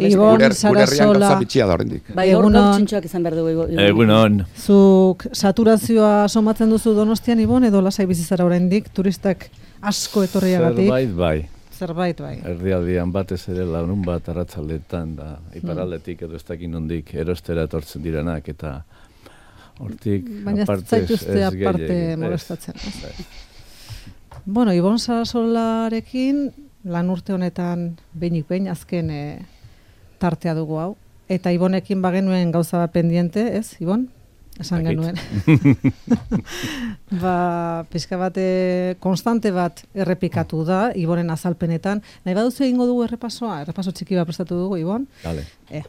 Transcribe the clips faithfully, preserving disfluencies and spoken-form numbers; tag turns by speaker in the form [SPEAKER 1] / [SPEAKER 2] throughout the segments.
[SPEAKER 1] Ibon Sarasola.
[SPEAKER 2] Bai, hor txintxoak izan behar dugu.
[SPEAKER 3] Egunon.
[SPEAKER 1] Zuk saturazioa somatzen duzu Donostian, Ibon, edo lasai bizizara oraindik turistak asko etorriagatik?
[SPEAKER 3] Zerbait bai.
[SPEAKER 1] Zerbait bai.
[SPEAKER 3] Erdialdian batez ere larun bat arratsaldetan da iparraldetik edo ez dakin nondik erostera etortzen direnak eta hortik aparte ez gehiagin.
[SPEAKER 1] aparte molestatzen. Bueno, Ibon Sarasolarekin lan urte honetan behinik behin azken e, tartea dugu hau. Eta Ibonekin bagenuen gauza bat pendiente, ez, Ibon? Esan genuen. ba, pixka bat konstante bat errepikatu da, Ibonen azalpenetan. Nahi baduzu egingo dugu errepasoa? Errepaso txiki bat prestatu dugu, Ibon?
[SPEAKER 3] Dale.
[SPEAKER 1] E.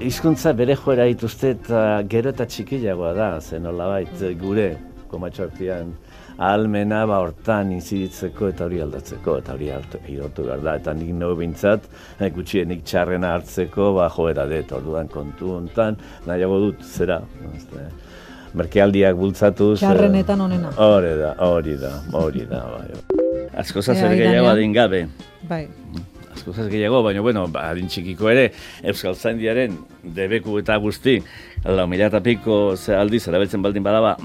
[SPEAKER 4] Hizkuntza bere joera dituzte eta gero eta txikiagoa da, zen nolabait gure komatxoartian ahalmena ba hortan inziditzeko eta hori aldatzeko, eta hori irortu behar da. Eta nik nago bintzat, gutxienik txarrena hartzeko, ba joera dut, orduan kontu hontan, nahiago dut, zera, merkealdiak bultzatuz.
[SPEAKER 1] Txarrenetan onena.
[SPEAKER 4] Hori da, hori da, hori da, bai. Asko zazer gehiago adin gabe.
[SPEAKER 1] Bai.
[SPEAKER 4] Asko gehiago, baina, bueno, adin txikiko ere, Euskaltzaindiaren debeku eta guzti, lau mila eta piko ze aldiz, erabiltzen baldin badaba,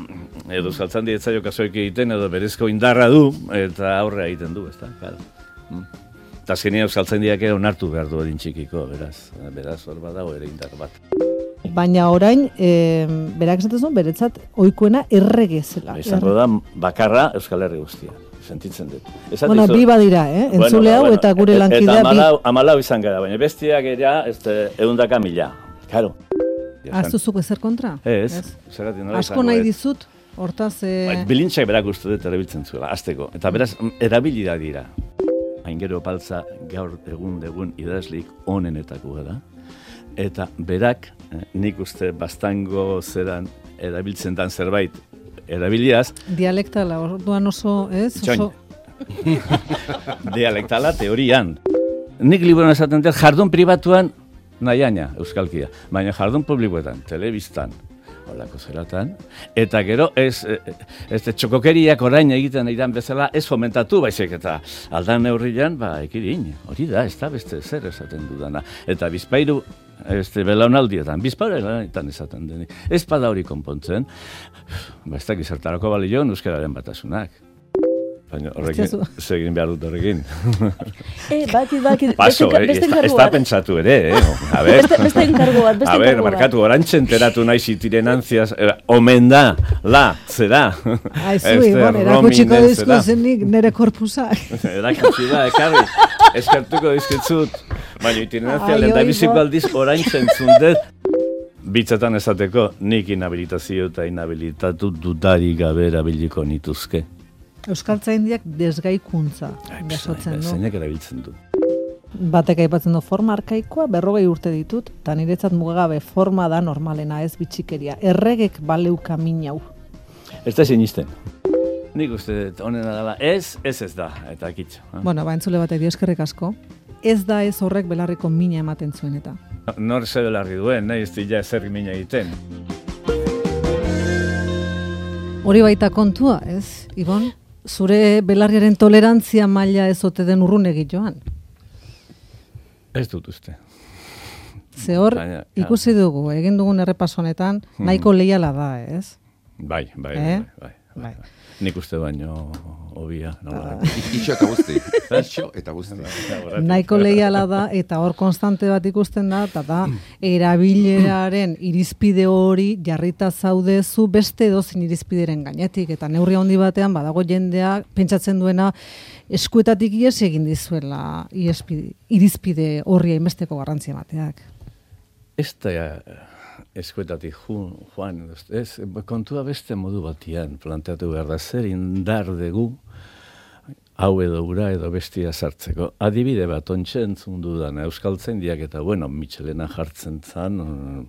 [SPEAKER 4] edo Euskaltzaindi ez zaio kasoik egiten, edo berezko indarra du, eta aurrea egiten du, ezta, claro. Eta azkenean Euskaltzaindiak ere onartu behar du adin txikiko, beraz, beraz hor badago ere indar bat.
[SPEAKER 1] Baina orain, e, berak esatzen beretzat, ohikoena errege zela.
[SPEAKER 4] Izango da, bakarra Euskal Herri guztia. Sentitzen dut.
[SPEAKER 1] Bueno, bi badira, eh? Entzule hau eta gure lankidea bi.
[SPEAKER 4] Eta amalau izan gara, baina bestiak era ehundaka mila. Claro.
[SPEAKER 1] Aztuzuk ezer kontra?
[SPEAKER 4] Ez.
[SPEAKER 1] Asko nahi dizut, hortaz...
[SPEAKER 4] Bilintxak berak uste dut erabiltzen zuela, azteko. Eta beraz, erabilida dira. Aingero Paltza gaur egun degun idazlik onenetako da. Eta berak, nik uste bastango zeran erabiltzen dan zerbait, erabiliaz.
[SPEAKER 1] Dialektala, orduan oso, ez? Oso...
[SPEAKER 4] Dialektala teorian. Nik liburuan esaten dut, jardun pribatuan nahiaina, euskalkia. Baina jardun publikoetan, telebistan, holako zeratan. Eta gero, ez, ez txokokeriak orain egiten iran bezala, ez fomentatu, baizik eta aldan neurrian, ba, ekirin, hori da, ez da beste zer esaten dudana. Eta bizpairu, este belaunaldietan, bizpairuetan esaten denik. Ez bada hori konpontzen, ba, ez dakit zertarako balio euskararen batasunak. Baina horrekin, segin behar dut horrekin.
[SPEAKER 2] Eh, baki, baki,
[SPEAKER 4] Paso, beste enkargu bat. Ez da pentsatu ere, eh? A ver,
[SPEAKER 2] beste, beste enkargu bat, beste
[SPEAKER 4] a ver, markatu, orantxe enteratu nahi zitiren antziaz, eh, omen da, la, zera.
[SPEAKER 1] Aizu, Ibon, erakutsiko dizkuzenik nire korpusak.
[SPEAKER 4] Erakutsi da, ekarri, eskartuko dizkitzut. Baina itinerantzia lehendabiziko aldiz orantxe entzundet. Bitzetan esateko, nik inhabilitazio eta inhabilitatu dudari gabe erabiliko nituzke.
[SPEAKER 1] Euskaltzaindiak desgaikuntza jasotzen du.
[SPEAKER 4] Zeinak erabiltzen du.
[SPEAKER 1] Batek aipatzen du forma arkaikoa, berrogei urte ditut, eta niretzat mugagabe forma da normalena, ez bitxikeria. Erregek baleuka minau.
[SPEAKER 4] Ez da sinisten. Nik uste honena dela, ez, ez ez da, eta kitxo.
[SPEAKER 1] Bueno, ba, entzule batek dio eskerrik asko. Ez da ez horrek belarriko mina ematen zuen eta.
[SPEAKER 4] Nor ze belarri duen, nahi ez dira zer mina egiten.
[SPEAKER 1] Hori baita kontua, ez, Ibon? Zure belarriaren tolerantzia maila ez ote den urrunegi joan?
[SPEAKER 4] Ez dut uste.
[SPEAKER 1] Ze hor, ikusi dugu, egin dugun errepaso honetan, nahiko leiala da, ez?
[SPEAKER 4] Bai, bai,
[SPEAKER 1] eh?
[SPEAKER 4] bai, bai, bai. Nik uste baino obia.
[SPEAKER 5] Itxo eta guzti. Itxo eta guzti.
[SPEAKER 1] Nahiko leiala da, eta hor konstante bat ikusten da, eta da, erabileraren irizpide hori jarrita zaudezu beste edozin irizpideren gainetik, eta neurri handi batean badago jendea pentsatzen duena eskuetatik ihes egin dizuela irizpide horri hainbesteko garrantzia emateak.
[SPEAKER 4] Ez da eskuetatik joan, ez, kontua beste modu batian planteatu behar da, zer indar dugu hau edo ura edo bestia sartzeko. Adibide bat, ontsa entzun dudan, Euskaltzaindiak eta, bueno, Michelena jartzen zan,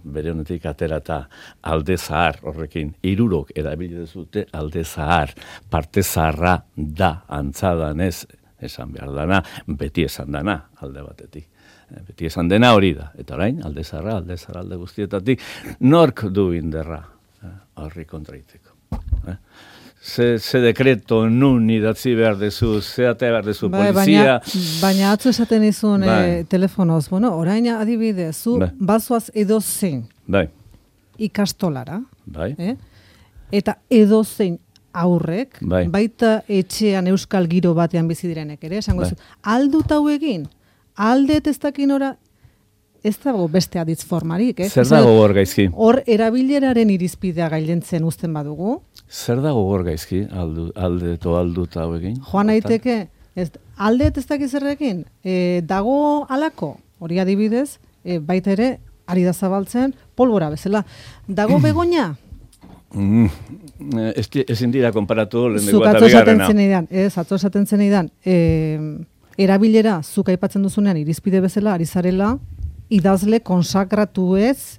[SPEAKER 4] bere honetik aterata alde zahar horrekin, hirurok erabili dezute alde zahar, parte zaharra da, antzadan ez, esan behar dana, beti esan dana alde batetik. Beti esan dena hori da, eta orain, alde zarra, alde zarra, alde guztietatik, nork du inderra horri kontraiteko.
[SPEAKER 3] Ze, ze dekreto nun idatzi behar dezu, ze atea behar dezu
[SPEAKER 1] bai,
[SPEAKER 3] polizia.
[SPEAKER 1] Baina, baina atzo esaten izun
[SPEAKER 3] bai.
[SPEAKER 1] e, telefonoz, bueno, orain adibidez, zu
[SPEAKER 3] bai.
[SPEAKER 1] bazoaz edozein
[SPEAKER 3] Bai,
[SPEAKER 1] ikastolara,
[SPEAKER 3] bai.
[SPEAKER 1] eh? eta edozein aurrek,
[SPEAKER 3] Bai.
[SPEAKER 1] baita etxean euskal giro batean bizi direnek ere, esango
[SPEAKER 3] Bai.
[SPEAKER 1] zu, aldut hau egin, aldet ez dakinora, ez dago beste aditz formarik, eh?
[SPEAKER 3] Zer dago hor gaizki?
[SPEAKER 1] Hor erabileraren irizpidea gailentzen uzten badugu,
[SPEAKER 3] Zer dago hor gaizki, aldu, alde eto aldut hau egin?
[SPEAKER 1] joan naiteke, ez, aldet ez dakiz zerrekin, e, dago alako, hori adibidez, e, baita ere, ari da zabaltzen, polbora bezala. Dago begoña?
[SPEAKER 3] Mm, ez, ezin dira konparatu lehenengo
[SPEAKER 1] Zuk
[SPEAKER 3] eta
[SPEAKER 1] atzo esaten
[SPEAKER 3] bigarrena.
[SPEAKER 1] zeneidan, ez, atzo esaten zeneidan, e, erabilera, zuk aipatzen duzunean, irizpide bezala, ari zarela, idazle konsakratu ez,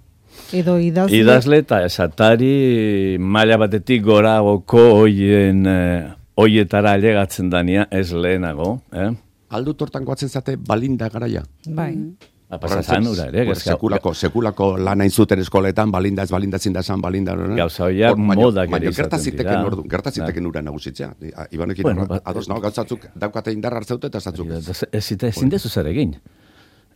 [SPEAKER 1] edo idazle...
[SPEAKER 3] Idazle eta esatari maila batetik goragoko hoien, eh, hoietara ailegatzen dania, ez lehenago. Eh?
[SPEAKER 5] Aldu tortan goatzen zate balinda garaia.
[SPEAKER 1] Bai.
[SPEAKER 3] Apasazan ura ere.
[SPEAKER 5] Bueno, sekulako, sekulako lan hain zuten eskoletan, balinda ez balindatzen da esan balinda.
[SPEAKER 3] Gauza horiak modak ere
[SPEAKER 5] baina
[SPEAKER 3] izaten
[SPEAKER 5] gertaziteken
[SPEAKER 3] dira.
[SPEAKER 5] ordu, gertaziteken ura nagusitzea. Ibanekin
[SPEAKER 3] Bueno,
[SPEAKER 5] bueno,
[SPEAKER 3] ba-
[SPEAKER 5] ados nago gauzatzuk daukate indar hartzeute eta zatzuk.
[SPEAKER 3] Ezin dezu zer egin.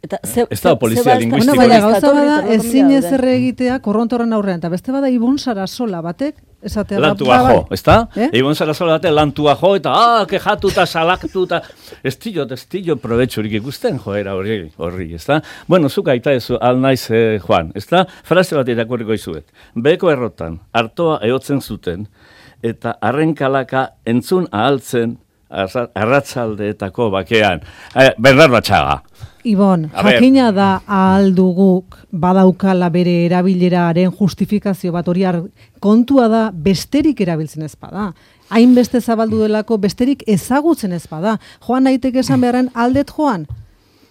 [SPEAKER 2] Eta ze,
[SPEAKER 3] Ez dago polizia
[SPEAKER 2] ze- ze-
[SPEAKER 3] linguistikorik.
[SPEAKER 1] Bueno, baina
[SPEAKER 2] ze-
[SPEAKER 1] gauza bada
[SPEAKER 2] ze-
[SPEAKER 1] ezin
[SPEAKER 2] ze-
[SPEAKER 1] ezer egitea korrontoren aurrean, eta beste bada Ibon Sarasola batek, esatea ba-
[SPEAKER 3] Lantua
[SPEAKER 1] ba-
[SPEAKER 3] jo,
[SPEAKER 1] bai.
[SPEAKER 3] ezta?
[SPEAKER 1] Eh?
[SPEAKER 3] Ibon Sarasola bate lantua jo, eta ah, kejatu eta salaktu eta ez tillo, ez tillo probetxurik ikusten joera horri, horri, ezta? Bueno, zuk aita ezu, al naiz, eh, Juan, ezta? Frase bat irakurriko izuet. Beko errotan, hartoa ehotzen zuten, eta arrenkalaka entzun ahaltzen arra- arratzaldeetako bakean. Eh, Bernardo Atxaga.
[SPEAKER 1] Ibon,
[SPEAKER 3] A ber.
[SPEAKER 1] jakina da ahal duguk badaukala bere erabileraren justifikazio bat hori ar- kontua da besterik erabiltzen ez bada. Hainbeste zabaldu delako besterik ezagutzen ez bada. Joan naiteke esan beharren aldet joan.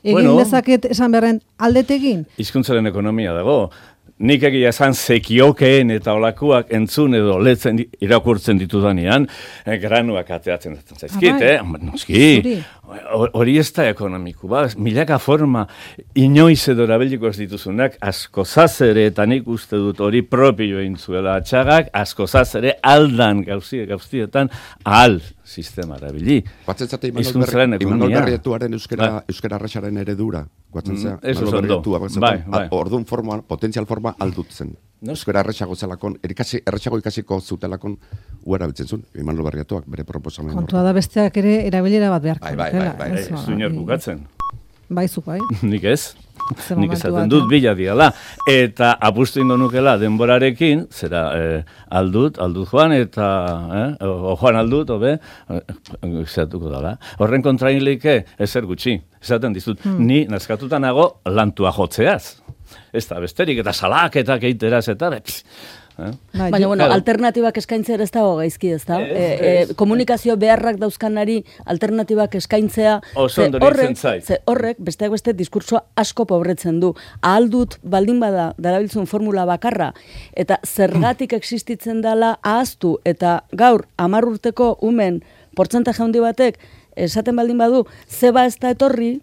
[SPEAKER 1] Egin
[SPEAKER 3] Bueno.
[SPEAKER 1] dezaket esan beharren aldet egin.
[SPEAKER 3] Hizkuntzaren ekonomia dago. Nik egia esan zekiokeen eta olakuak entzun edo letzen di- irakurtzen ditudanean, eh, granuak ateatzen zaizkit,
[SPEAKER 1] Ah, bai.
[SPEAKER 3] eh? Noski,
[SPEAKER 1] Zuri.
[SPEAKER 3] Ho- hori ez da ekonomiku, ba? Milaka forma inoiz edo erabiliko ez dituzunak, asko zazere, eta nik uste dut hori propio egin zuela Atxagak, asko zazere aldan gauzie, gauztietan ahal sistema erabili.
[SPEAKER 5] Guatzen zate Imanol
[SPEAKER 3] Hizkuntzaren
[SPEAKER 5] Berri- Imanol
[SPEAKER 3] ekonomia.
[SPEAKER 5] Berrietuaren euskara,
[SPEAKER 3] Bai.
[SPEAKER 5] euskara arrasaren eredura. Guatzen zea,
[SPEAKER 3] Mm, eso
[SPEAKER 5] Imanol
[SPEAKER 3] oso ondo.
[SPEAKER 5] Berrietua, guatzen
[SPEAKER 3] Bai,
[SPEAKER 5] zea,
[SPEAKER 3] bai.
[SPEAKER 5] Orduan forma, potentzial forma aldutzen.
[SPEAKER 3] No?
[SPEAKER 5] Euskara erresago zelakon, erikasi, erresago ikasiko zutelakon uera biltzen zuen, Imanol Berrietuak bere proposamen.
[SPEAKER 1] Kontua da besteak ere erabilera bat beharko.
[SPEAKER 5] Bai, bai,
[SPEAKER 1] dutela,
[SPEAKER 5] bai, bai.
[SPEAKER 1] ez,
[SPEAKER 3] Ez
[SPEAKER 1] ba,
[SPEAKER 3] du inor
[SPEAKER 1] i-
[SPEAKER 3] bukatzen.
[SPEAKER 1] Bai, zuk bai.
[SPEAKER 3] Nik ez.
[SPEAKER 1] Ze
[SPEAKER 3] Nik
[SPEAKER 1] momentu
[SPEAKER 3] esaten
[SPEAKER 1] batean.
[SPEAKER 3] dut bila diala. Eta apustu ingo nukela denborarekin, zera eh, aldut, aldut joan, eta eh, o, o joan aldut, obe, zeratuko dala. Horren kontrainlike ezer gutxi. Esaten dizut,
[SPEAKER 1] Hmm.
[SPEAKER 3] ni nazkatuta nago lantua jotzeaz. Ez da besterik, eta salaketak eiteraz, eta pss, eh?
[SPEAKER 1] Bai,
[SPEAKER 2] Baina,
[SPEAKER 1] jo-
[SPEAKER 2] bueno,
[SPEAKER 3] Claro.
[SPEAKER 2] alternatibak eskaintzea ez dago gaizki, ez da?
[SPEAKER 3] Ez,
[SPEAKER 2] E,
[SPEAKER 3] ez.
[SPEAKER 2] e, komunikazio beharrak dauzkanari alternatibak eskaintzea,
[SPEAKER 3] Oso
[SPEAKER 2] ze
[SPEAKER 3] ondo
[SPEAKER 2] horrek,
[SPEAKER 3] iruditzen zait.
[SPEAKER 2] ze horrek, besteak beste, diskursoa asko pobretzen du. Ahal dut baldin bada, darabiltzun formula bakarra, eta zergatik existitzen dela ahaztu, eta gaur, hamar urteko umen, portzentaje handi batek, esaten baldin badu, zeba ez da etorri,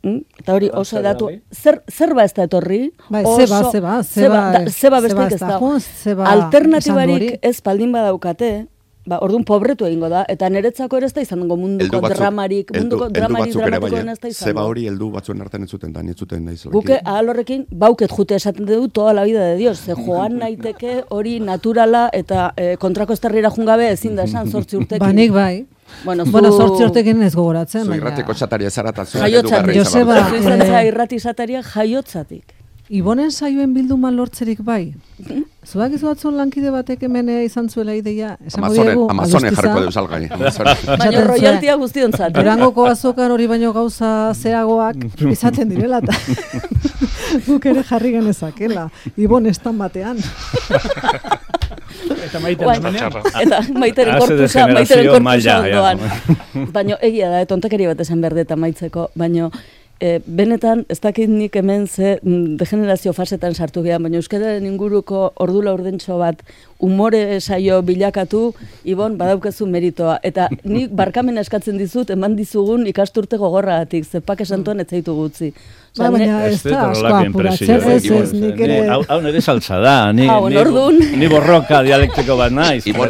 [SPEAKER 2] mm, eta hori oso
[SPEAKER 3] zer
[SPEAKER 2] datu,
[SPEAKER 3] gabe?
[SPEAKER 2] zer, zerba ez da etorri,
[SPEAKER 1] Bai,
[SPEAKER 2] oso-
[SPEAKER 1] zeba, zeba,
[SPEAKER 2] zeba,
[SPEAKER 1] zeba,
[SPEAKER 2] da- zeba besteik
[SPEAKER 1] zeba
[SPEAKER 2] ez
[SPEAKER 1] ez da
[SPEAKER 2] da.
[SPEAKER 1] joan, zeba
[SPEAKER 2] Alternatibarik
[SPEAKER 1] esan du hori.
[SPEAKER 2] ez baldin badaukate, ba, orduan pobretu egingo da, eta niretzako ere ez da izango munduko dramarik, munduko dramarik dramatikoen ez da izango.
[SPEAKER 5] Zeba hori heldu batzuen artean ez zuten, da, ez zuten nahi zelaki.
[SPEAKER 2] Guke ahal horrekin, bauket jute esaten dugu toda la vida de Dios, ze joan naiteke hori naturala eta eh, kontrako estarrira jungabe ezin da esan zortzi urtekin.
[SPEAKER 1] Ba, nik bai.
[SPEAKER 2] Bueno, zu...
[SPEAKER 1] Bueno, sortzi urtekin ez gogoratzen,
[SPEAKER 5] Zu
[SPEAKER 1] baina...
[SPEAKER 5] irrateko txataria zara eta zu
[SPEAKER 2] Jaiotzatik.
[SPEAKER 1] Joseba,
[SPEAKER 2] Zu izan
[SPEAKER 1] eh,
[SPEAKER 2] zara irrati izataria jaiotzatik.
[SPEAKER 1] Ibonen saioen bilduma lortzerik bai. Zuak izu batzun lankide batek hemen eh, izan zuela ideia. Esango
[SPEAKER 5] Amazonen,
[SPEAKER 1] diegu,
[SPEAKER 5] Amazonen
[SPEAKER 1] adostiza.
[SPEAKER 5] jarriko deus algai. Amazonen.
[SPEAKER 2] Baina
[SPEAKER 1] Esaten zuen,
[SPEAKER 2] royaltia guztiontzat. eh?
[SPEAKER 1] Durangoko azokan hori baino gauza zehagoak izaten direla eta guk ere jarri genezakela. Ibon estan batean.
[SPEAKER 6] Eta maite
[SPEAKER 2] Bai,
[SPEAKER 6] andamenean.
[SPEAKER 2] eta maiteren
[SPEAKER 3] Haze
[SPEAKER 2] korpusa,
[SPEAKER 3] degenerazio
[SPEAKER 2] maiteren korpusa
[SPEAKER 3] maila, ja.
[SPEAKER 2] ondoan. Baina egia da, tontakeri bat esan behar dut amaitzeko, baina E, benetan, ez dakit nik hemen ze degenerazio fasetan sartu gehan, baina euskararen inguruko ordula urdentxo bat umore saio bilakatu, Ibon, badaukazu meritoa. Eta nik barkamena eskatzen dizut, eman dizugun ikasturte gogorragatik, zepak esantuan ez zaitu gutzi.
[SPEAKER 1] Ba, baina ez da, asko apuratzen, ez ez, nik ere...
[SPEAKER 3] Hau nire saltza da, ni,
[SPEAKER 2] Hau,
[SPEAKER 3] ni,
[SPEAKER 2] ordun.
[SPEAKER 3] ni borroka dialektiko bat naiz.
[SPEAKER 5] Ibon,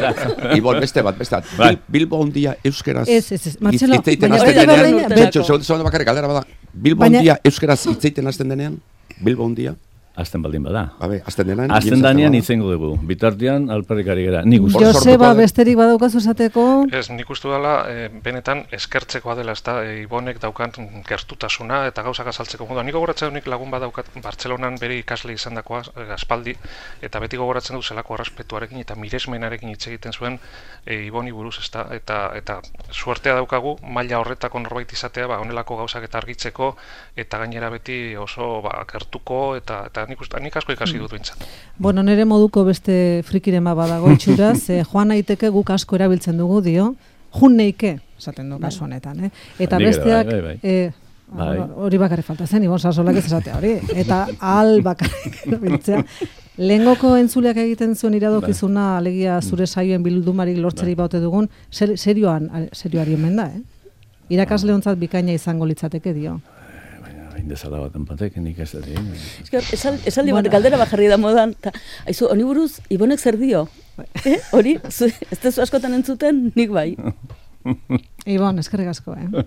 [SPEAKER 5] Ibon, beste bat, beste bat.
[SPEAKER 3] Bai.
[SPEAKER 5] Bil- Bilbo hundia euskeraz...
[SPEAKER 1] Ez, ez, ez, Martxelo,
[SPEAKER 5] hitz egiten
[SPEAKER 1] baina
[SPEAKER 5] hasten
[SPEAKER 2] hori da
[SPEAKER 5] denean-
[SPEAKER 2] berdina,
[SPEAKER 5] Betxo,
[SPEAKER 2] betako.
[SPEAKER 5] segundu, segundu bakarrik galdera bada. Bilbo
[SPEAKER 1] Baina-
[SPEAKER 5] hundia euskeraz hitz egiten hasten denean? Bilbo hundia?
[SPEAKER 3] Azten baldin bada.
[SPEAKER 5] Babe, hasten denean...
[SPEAKER 3] Azten danean itzengo dugu. Bitartean alperrikari gara. Nik uste.
[SPEAKER 5] Hor
[SPEAKER 1] Joseba,
[SPEAKER 5] sortuko-
[SPEAKER 1] besterik badaukazu esateko?
[SPEAKER 6] Ez, nik uste dela, e, benetan eskertzekoa dela, ez da, e, Ibonek daukan gertutasuna eta gauzak azaltzeko modu. Nik gogoratzen nik lagun badaukat Bartzelonan bere ikasle izan dakoa, e, aspaldi, eta beti gogoratzen du zelako errespetuarekin eta miresmenarekin hitz egiten zuen e, Iboni buruz, ez da, eta, eta suertea daukagu, maila horretako norbait izatea, ba, honelako gauzak eta argitzeko, eta gainera beti oso ba, gertuko, eta, eta nik, uste, nik asko ikasi dut bintzat.
[SPEAKER 1] Bueno, nire moduko beste frikiren bat badago itxuraz, eh, joan naiteke guk asko erabiltzen dugu dio, jun neike, esaten du kasu honetan, eh? Eta
[SPEAKER 3] Nik ere,
[SPEAKER 1] besteak,
[SPEAKER 3] bai, bai, bai.
[SPEAKER 1] eh,
[SPEAKER 3] Bai.
[SPEAKER 1] bueno, hori bakarrik falta zen, Ibon Sasolak ez esatea hori, eta al bakarrik erabiltzea. Lehengoko entzuleak egiten zuen iradokizuna, alegia zure saioen bildumarik lortzeri baute dugun, ser, serioan, serioari omen da, eh? Irakasle hontzat bikaina izango litzateke dio.
[SPEAKER 3] Indezala bat enpatek, nik ez dut egin.
[SPEAKER 2] Eske, esal, esaldi bat
[SPEAKER 1] Bueno.
[SPEAKER 2] galdera bajarri da modan, ta, aizu, honi buruz, Ibonek zer dio? Eh? Hori, zu, ez tezu askotan entzuten, nik bai.
[SPEAKER 1] Ibon, eskerrik asko, eh?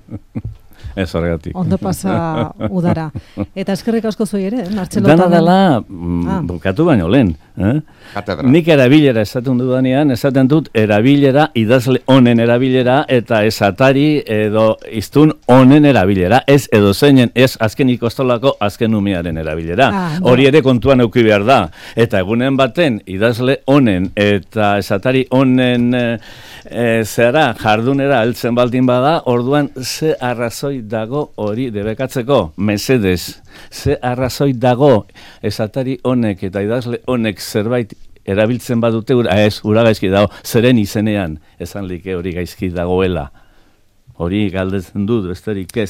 [SPEAKER 3] Ez horregatik.
[SPEAKER 1] Ondo pasa udara. Eta eskerrik asko zuei ere, eh? Martxelo
[SPEAKER 3] Dana
[SPEAKER 1] Tamen.
[SPEAKER 3] dela, mm,
[SPEAKER 1] Ah.
[SPEAKER 3] bukatu baino lehen. Eh?
[SPEAKER 5] Katedra.
[SPEAKER 3] Nik erabilera esaten dudanean, esaten dut erabilera, idazle honen erabilera, eta esatari edo iztun honen erabilera, ez edo zeinen, ez azken ikostolako azken umearen erabilera.
[SPEAKER 1] Ah,
[SPEAKER 3] Hori
[SPEAKER 1] no.
[SPEAKER 3] ere kontuan euki behar da. Eta egunen baten, idazle honen eta esatari honen e, e, zera jardunera heltzen baldin bada, orduan ze arrazoi dago hori debekatzeko, mesedez. Ze arrazoi dago esatari honek eta idazle honek zerbait erabiltzen badute, ura, ez, ura gaizki dago, zeren izenean, esan like hori gaizki dagoela. Hori galdetzen dut, besterik ez.